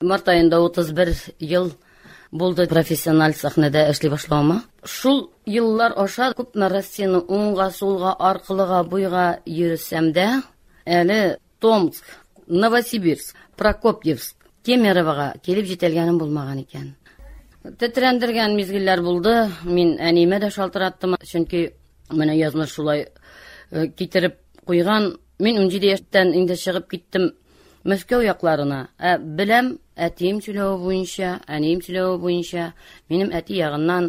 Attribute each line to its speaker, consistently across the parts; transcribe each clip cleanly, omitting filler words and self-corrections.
Speaker 1: Март аенда 31 ел булды профессиональ сәхнәдә эшли башлавыма. Шул еллар аша күпме Россияне уңга, сулга, аркылыга, буйга йөресәм дә, әле Томск, Новосибирск, Прокопьевск, Кемеровога килеп җитәлгәнем булмаган икән. Тетрәндергән мизгелләр булды. Мин әниемә дә шалтыраттым, чөнки менә язмыш шулай э, китереп куйган. Мин 17 яшьтән инде чыгып киттем Мәскәү якларына. Ә беләм, әтием сөйләве буенча, әнием сөйләве буенча, минем әти ягыннан,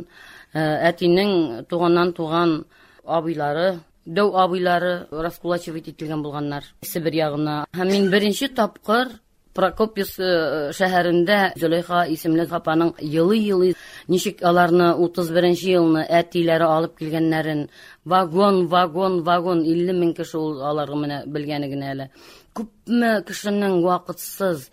Speaker 1: э, әтинең туганнан туган абыйлары, дәү абыйлары раскулачивать ителгән булганнар Себер ягына. Һәм мин беренче тапкыр Прокопьевск э, шәһәрендә Зөләйха исемле апаның елый-елый ничек аларны 31 елны әтиләре алып килгәннәрен, вагон, вагон, вагон, 50 мең кеше ул аларга менә белгәне генә әле. Күпме кешенең вакытсыз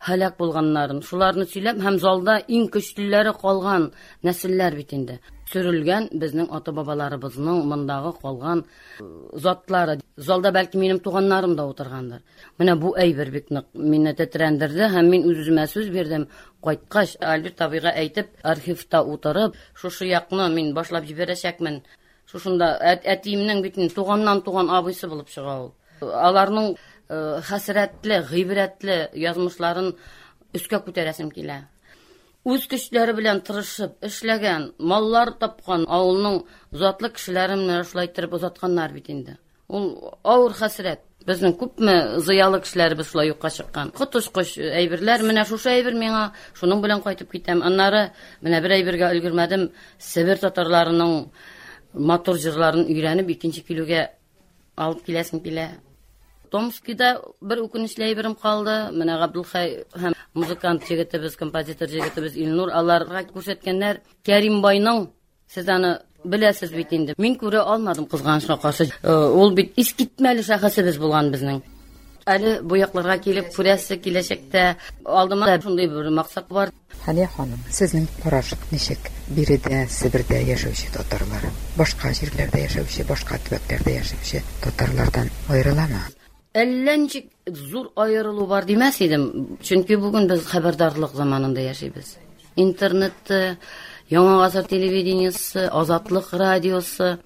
Speaker 1: һәлак булганнарын, шуларны сөйләп һәм залда иң көчлеләре калган нәселләр бит инде. Сөрелгән безнең ата-бабаларыбызның мондагы калган э, затлары. Залда бәлки минем туганнарым да утыргандыр. Менә бу әйбер бик нык мине тетрәндерде һәм мин үз-үземә сүз бирдем. Кайткач, Альберт абыйга әйтеп, архивта утырып, шушы якны мин башлап җибәрәчәкмен. Шушында әтиемнең бит инде туганнан туган абыйсы булып чыга ул. Аларның э, хәсрәтле, гыйбрәтле язмышларын өскә күтәрәсем килә. Үз көчләре белән тырышып эшләгән, маллар тапкан авылның затлы кешеләрен менә шулай иттереп озатканнар бит инде. Ул авыр хәсрәт. Безнең күпме зыялы кешеләребез шулай юкка чыккан. Коточкыч әйберләр. Менә шушы әйбер миңа шуның белән кайтып китәм. Аннары менә бер әйбергә өлгермәдем. Себер татарларының матур җырларын өйрәнеп, икенче килүгә алып киләсем килә. Томскида бер үкенечле әйберем калды. Менә Габдулхай һәм музыкант егетебез, композитор егетебез Илнур аларга күрсәткәннәр Кәрим байның. Сез аны беләсез бит инде. Мин күрә алмадым кызганычка каршы. Э, ул бит искитмәле шәхесебез булган безнең. Әле бу якларга килеп күрәсе киләчәктә алдыма да шундый бер максат бар.
Speaker 2: Хәния ханым, сезнең караш ничек? Биредә, Себердә яшәүче татарлар, башка җирләрдә яшәүче, башка төбәкләрдә яшәүче татарлардан аерыламы?
Speaker 1: Әллә ничек зур аерылу бар димәс идем, чөнки бүген без хәбәрдарлык заманында яшибез. Интернет, Яңа гасыр телевидениесе, Азатлык радиосы,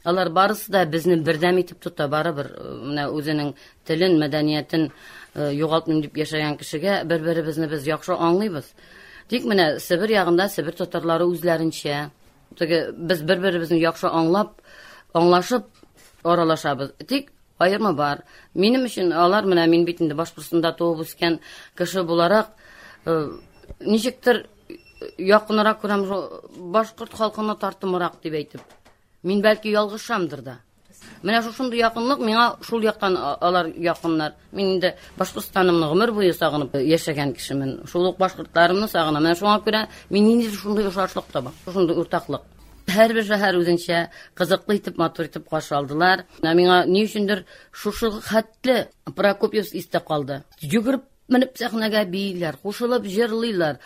Speaker 1: алар барысы да безне бердәм итеп тота, барыбер э, менә үзенең телен, мәдәниятен э, югалтмыйм дип яшәгән кешегә бер-беребезне без яхшы аңлыйбыз. Тик менә Себер ягында Себер татарлары үзләренчә, теге без бер-беребезне яхшы аңлап, аңлашып аралашабыз. Тик Аерма бар. Минем өчен алар менә мин бит инде Башкортстанда туып үскән кеше буларак, э, ничектер якынрак күрәм башкорт халкына тартымрак дип әйтеп. Мин бәлки ялгышамдыр да. Менә шушындый якынлык миңа шул яктан алар якыннар. Мин инде Башкортстанымны гомер буе сагынып яшәгән кешемен. Шул ук башкортларымны сагынам. Менә шуңа күрә мин ниндидер шундый охшашлык табам, шушындый уртаклык. Һәрбер шәһәр үзенчә кызыклы итеп, матур итеп каршы алдылар. Ә миңа ни өчендер шушы хәтле Прокопьевск истә калды. Йөгереп менеп сәхнәгә бииләр, кушылып җырлыйлар.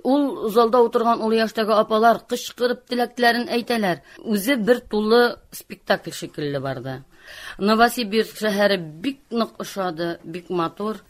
Speaker 1: Ул залда утырган олы яшьтәге апалар кычкырып теләкләрен әйтәләр. Үзе бер тулы спектакль шикелле барды. Новосибирск шәһәре бик нык ошады, бик матур.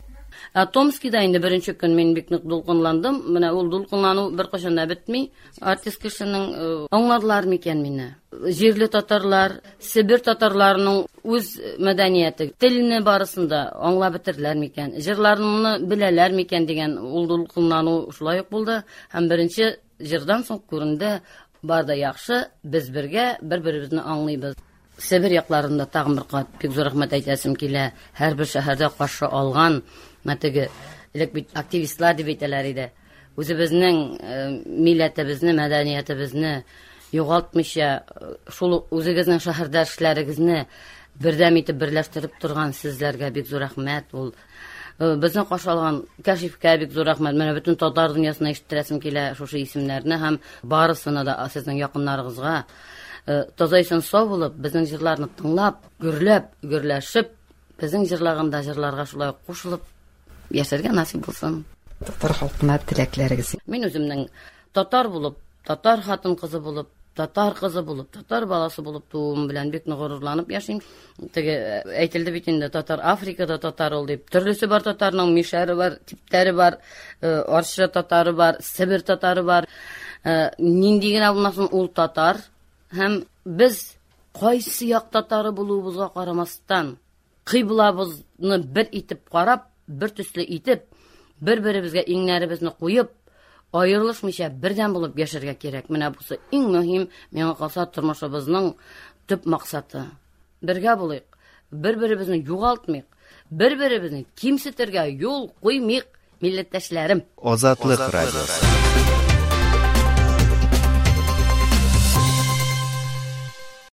Speaker 1: Ә Томскида инде беренче көн мин бик нык дулкынландым. Менә ул дулкынлану беркайчан да бетми. Артист кешенең э, аңладылар микән мине? Җирле татарлар, Себер татарларының үз мәдәнияте, телне барысын да аңлап бетерделәр микән? Җырларны беләләр микән дигән ул дулкынлану шулай ук булды. Һәм беренче җырдан соң күренде, бар да яхшы, без бергә, бер-беребезне аңлыйбыз. Себер якларында тагын бер кат бик зур рәхмәт әйтәсем килә. Һәрбер шәһәрдә каршы алган, менә теге элек бит активистлар дип әйтәләр иде. Үзебезнең э, милләтебезне, мәдәниятебезне югалтмыйча, э, шул үзегезнең шәһәрдәшләрегезне бердәм итеп берләштереп торган сезләргә бик зур рәхмәт. Ул э, безне каршы алган Кәшифкә бик зур рәхмәт. Менә бөтен татар дөньясына ишеттерәсем килә шушы исемнәрне һәм барысына да сезнең якыннарыгызга Э, таза исән сау булып, безнең җырларны тыңлап, гөрләп, гөрләшеп, безнең җырлаганда җырларга шулай кушылып яшәргә насыйп булсын.
Speaker 2: Татар халкына теләкләрегез.
Speaker 1: Мин үземнең татар булып, татар хатын кызы булып, Татар кызы булып, татар баласы булып тууым белән бик нык горурланып яшим. Теге э, әйтелде бит инде, татар Африкада татар ул дип. Төрлесе бар татарның, мишәре бар, типтәре бар, э, Арча татары бар, Себер татары бар. Э, нинди генә булмасын, ул татар. Һәм без кайсы як татары булуыбызга карамастан, кыйблабызны бер итеп карап, бер төсле итеп, бер-беребезгә иңнәребезне куеп, аерылышмыйча бердәм булып яшәргә кирәк. Менә бусы иң мөһим, миңа калса, тормышыбызның төп максаты. Бергә булыйк, бер-беребезне югалтмыйк, бер-беребезне кимсетергә юл куймыйк, милләттәшләрем.
Speaker 3: Азатлык радиосы.